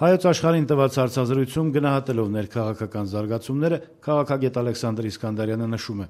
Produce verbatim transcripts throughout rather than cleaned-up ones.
Հայոց աշխարհին տված հարցազրույցում գնահատելով ներքաղաքական զարգացումները քաղաքագետ Ալեքսանդր Իսկանդարյանը նշում է.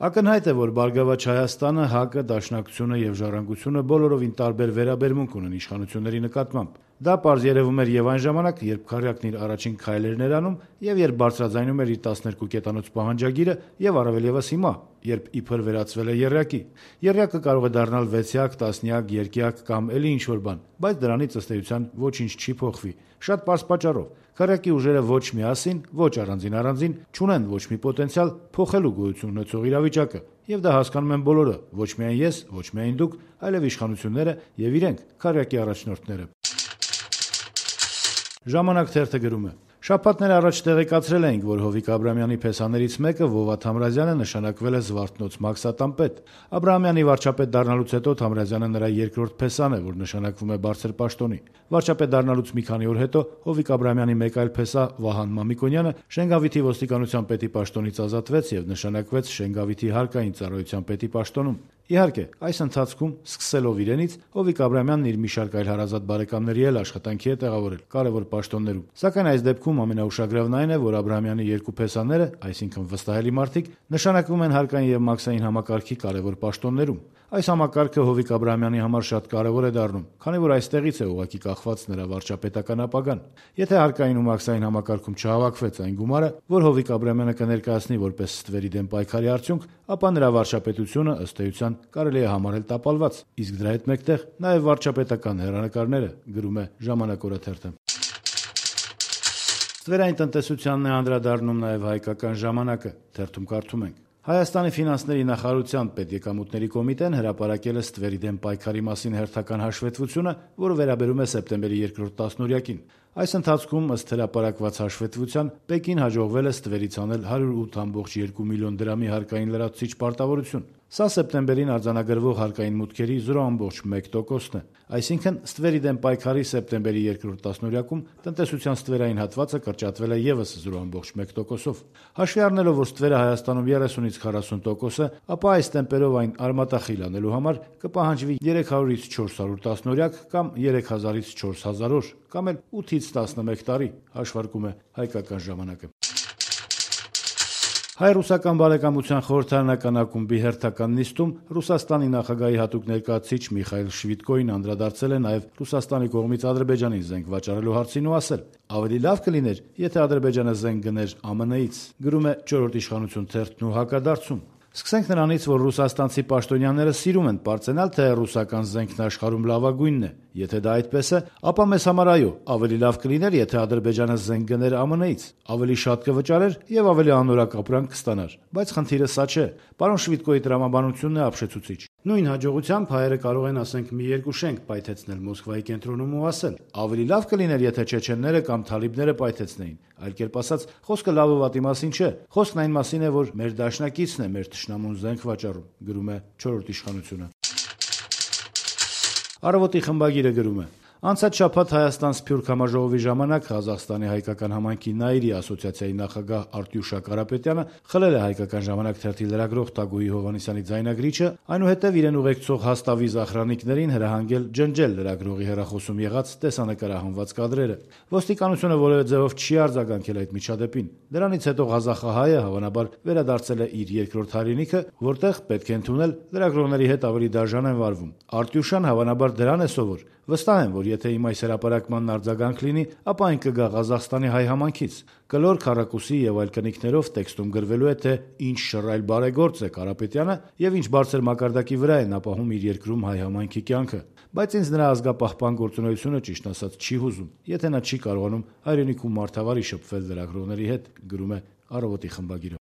«Ակնհայտ է, որ Բարգավաճ Հայաստանը, ՀԱԿ-ը, Դաշնակցությունը եւ Ժառանգությունը բոլորովին տարբեր վերաբերմունք ունեն իշխանությունների նկատմամբ։ Դա պարզ երևում էր եւ այն ժամանակ, երբ Քարյակն իր առաջին քայլերն էր անում եւ երբ բարձրաձայնում էր իր տասներկու կետանոց պահանջագիրը եւ առավել եւս հիմա, երբ իբր վերածվել է եռյակի։ Եռյակը կարող է դառնալ վեցյակ, տասնյակ, երկյակ կամ էլի ինչ-որ բան, բայց դրանից ըստ էության ոչինչ չի փոխվի։ Շատ պարզ պատճառով. Քարյակի ուժերը ոչ միասին, ոչ առանձին առանձին չունեն ոչ մի պոտենցիալ փոխելու գոյություն ունեցող իրավիճակը, եւ դա հասկանում են բոլորը, ոչ միայն ես, ոչ միայն դուք, այլև իշխանությունները եւ իրենք, Քարյակի առաջնորդները»։ «Ժամանակ» թերթը գրում է. «Շաբաթներ առաջ տեղեկացրել էինք, որ Հովիկ Աբրահամյանի փեսաներից մեկը Վովա Թամրազյանը նշանակվել է Զվարթնոց մաքսատանպետ։ Աբրահամյանի վարչապետ դառնալուց հետո Թամրազյանը նրա երկրորդ փեսան է, որ նշանակվում է բարձր պաշտոնի։ Վարչապետ դառնալուց մի քանի օր հետո Հովիկ Աբրահամյանի մեկ այլ փեսա Վահան Մամիկոնյանը Շենգավիթի ոստիկանության պետի պաշտոնից ազատվեց եւ նշանակվեց Շենգավիթի հարկային ծառայության պետի պաշտոնում։ Իհարկե, այս ընթացքում, սկսելով իրենից, Հովիկ Աբրահամյանն իր մի շարք այլ հարազատ բարեկամների էլ աշխատանքի է տեղավորել կարևոր պաշտոններում։ Սակայն այս դեպքում ամենաուշագրավն այն է, որ Աբրահամյանի երկու փեսաները, այսինքն վստահելի մարդիկ, նշանակվում են հարկային եւ մաքսային համակարգի կարևոր պաշտոններում։ Այս համակարգը Հովիկ Աբրահամյանի համար շատ կարևոր է դառնում, քանի որ այստեղից է ուղղակի կախված նրա վարչապետական ապագան։ Եթե հարկային ու մաքսային համակարգում չհավաքվեց այն գումարը, որ Հովիկ Աբրահամյանը կներկայացնի որպես ստվերի դեմ պայքարի արդյունք, ապա նրա վարչապետությունը ըստ էության կարելի է համարել տապալված, իսկ դրա հետ մեկտեղ նաև վարչապետական հեռանկարները, գրում է «Ժամանակ» օրաթերթը։ Ստվերային տնտեսությանն է անդրադառնում նաև «Հայկական ժամանակը», թերթում կարդում ենք. «Հայաստանի ֆինանսների նախարարության պետեկամուտների կոմիտեն հրապարակել է ստվերի դեմ պայքարի մասին հերթական հաշվետվությունը, որը վերաբերում է սեպտեմբերի երկրորդ տասնօրյակին։ Այս ընթացքում, ըստ հրապարակված հաշվետվության, Պեկին հաջողվել է ստվերից անել հարյուր ութ կόμμα երկու միլիոն դրամի հարկային լրացուցիչ պարտավորություն։ Սա սեպտեմբերին արձանագրվող հարկային մուտքերի զրո կόμma մեկ տոկոսն է։ Այսինքն, ստվերի դեմ պայքարի սեպտեմբերի երկրորդ տասնօրյակում տնտեսության ստվերային հատվածը կրճատվել է եւս զրո կόμma մեկ տոկոսով։ Հաշվի առնելով, որ ստվերը Հայաստանում երեսունից քառասուն տոկոս է, ապա այս տեմպերով այն արմատախիլ անելու համար կպահանջվի երեք հարյուրից չորս հարյուր տասնօրյակ կամ երեք հազարից չորս հազար օր, կամ էլ ութից տասնմեկ տարի, հաշվարկում է «Հայկական ժամանակը»։ Հայ-ռուսական բարեկամության խորհրդարանական ակումբի հերթական նիստում Ռուսաստանի նախագահի հատուկ ներկայացուցիչ Միխայիլ Շվիդկոին անդրադարձել է նաև Ռուսաստանի կողմից Ադրբեջանին զենք վաճառելու հարցին ու ասել. «Ավելի լավ կլիներ, եթե Ադրբեջանը զենք գներ ԱՄՆ-ից», գրում է «Չորրորդ իշխանություն» թերթն ու հակադարձում. «Սկսենք նրանից, որ ռուսաստանցի պաշտոնյաները սիրում են պարծենալ, թե ռուսական զենքն աշխարհում լավագույնն է։ Եթե դա այդպես է, ապա մեզ համար այո, ավելի լավ կլիներ, եթե Ադրբեջանը զենք գներ ԱՄՆ-ից, ավելի շատ կվճարեր եւ ավելի անորակ ապրանք կստանար։ Բայց խնդիրը սա չէ։ Պարոն Շվիդկոյի տրամաբանությունն է ապշեցուցիչ։ Նույն հաջողությամբ հայերը կարող են, ասենք, մի երկու շենք պայթեցնել Մոսկվայի կենտրոնում ու ասել. ավելի լավ կլիներ, եթե չեչենները կամ թալիբները պայթեցնեին։ Այլ կերպ ասած, խոսքը լավ ու վատի մասին չէ։ Խոսքն այն մասին է, որ մեր դաշնակիցն է մեր թշնամուն զենք վաճառում», գրում է «Չորրորդ իշխանությունը»։ Առավոտի խմբագիրը գրում է. «Անցած շաբաթ Հայաստան Սփյուռք համաժողովի ժամանակ Ղազախստանի հայկական համայնքի Նայիրի ասոցիացիայի նախագահ Արտյուշա Կարապետյանը խլել է Հայկական ժամանակ թերթի լրագրող Տագոյի Հովհաննիսյանի ձայնագրիչը, այնուհետև իրեն ուղեկցող հաստավիզ ախրանիկներին հրահանգել ջնջել լրագրողի հեռախոսում եղած տեսանկարահանված կադրերը։ Ոստիկանությունը որևէ ձևով չի արձագանքել այդ միջադեպին։ Դրանից հետո ղազախահայը հավանաբար վերադարձել է իր երկրորդ հայրենիքը, որտեղ, պետք է ընդունել, լրագրողների հետ ավելի դաժան են վարվում։ Արտյուշան հավանաբար դրան է սովոր։ Վստահ եմ, որ եթե իմ այս հրապարակմանն արձագանք լինի, ապա այն կգա Ղազախստանի հայ համայնքից։ Կլոր քառակուսի եւ այլ կնիքներով տեքստում գրվելու է, թե ինչ շռայլ բարեգործ է Կարապետյանը եւ ինչ բարձր մակարդակի վրա է ապահում իր երկրում հայ համայնքի կյանքը։ Բայց ինձ նրա ազգապահպան գործունեությունը ճիշտ ասած չի հուզում, եթե նա չի կարողանում հայրենիքում մարդավարի շփվել լրագրողների հետ, գրում է «Առավոտի» խմբագիրը։